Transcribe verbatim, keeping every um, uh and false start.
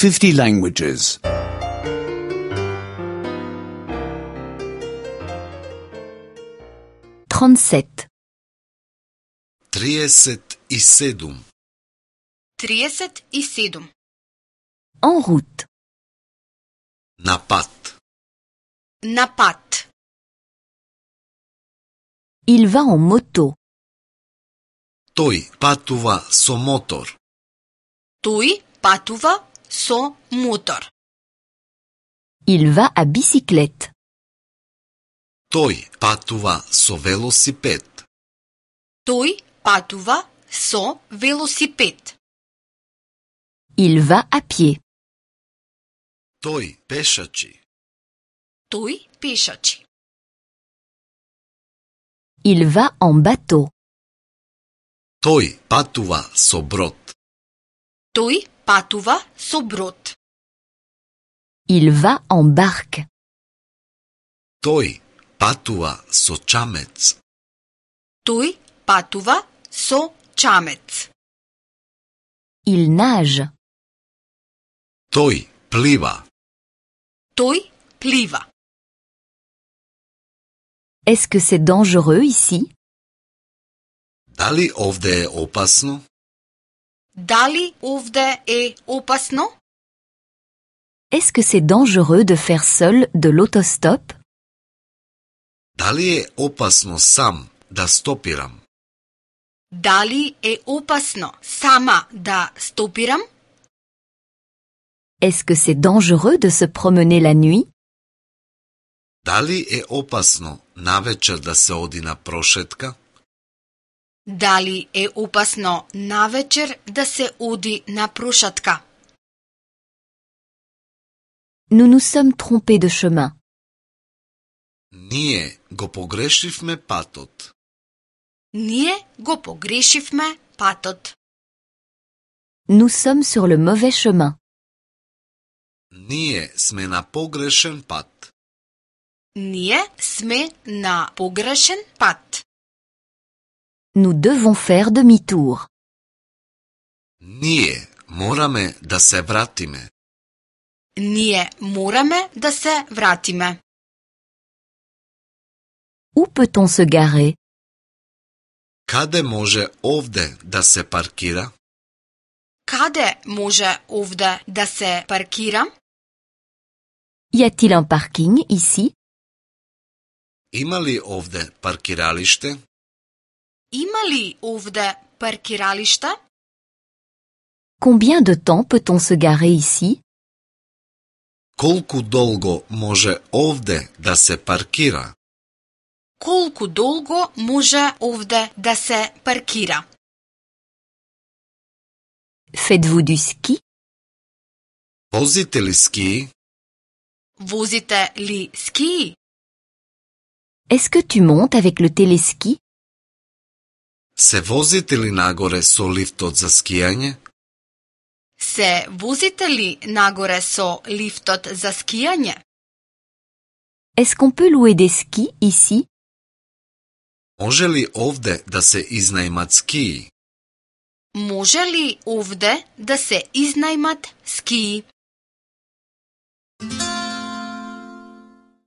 fifty languages. trente-sept. trideset i sedam. trideset i sedam. En route. Na pat. Na pat. Il va en moto. Тој патува со мотор. Тој патува со мотор. Il va à bicyclette. Тој патува со велосипед. Тој патува со велосипед. Il va à pied. Тој пешачи. Тој пешачи. Il va en bateau. Тој патува со брод. Тој патува со брод. Il va en barque. Тој патува со чамец. Тој патува со чамец. Il nage. Тој плива. Тој плива. Est-ce que c'est dangereux ici? Дали овде е опасно? Дали овде е опасно? Est-ce que c'est dangereux de faire seul de l'autostop? Дали е опасно сам да стопирам? Дали е опасно сама да стопирам? Est-ce que c'est dangereux de se promener la nuit? Дали е опасно навечер да се оди на прошетка? Дали е опасно навечер да се оди на прошатка? Nous nous sommes trompés de chemin. Ние го погрешивме патот. Ние го погрешивме патот. Nous sommes sur le mauvais chemin. Ние сме на погрешен пат. Ние сме на погрешен пат. Nous devons faire demi-tour. Ние мораме да се вратиме. Ние мораме да се вратиме. Où peut-on se garer? Каде може овде да се паркира? Каде може овде да се паркира? Y a-t-il un parking ici? Има ли овде паркиралиште? Има ли овде паркиралиште? Combien de temps peut-on se garer ici? Колку долго може овде да се паркира? Колку долго може овде да се паркира? Faites-vous du ski? Возите ли ски? Возите ли ски? Est-ce que tu montes avec le téléski? Се возите ли нагоре со лифтот за скијање? Се возите ли нагоре со лифтот за скијање? Est-ce qu'on peut louer des skis ici? Може ли овде да се изнајмат скии? Може ли овде да се изнајмат скии?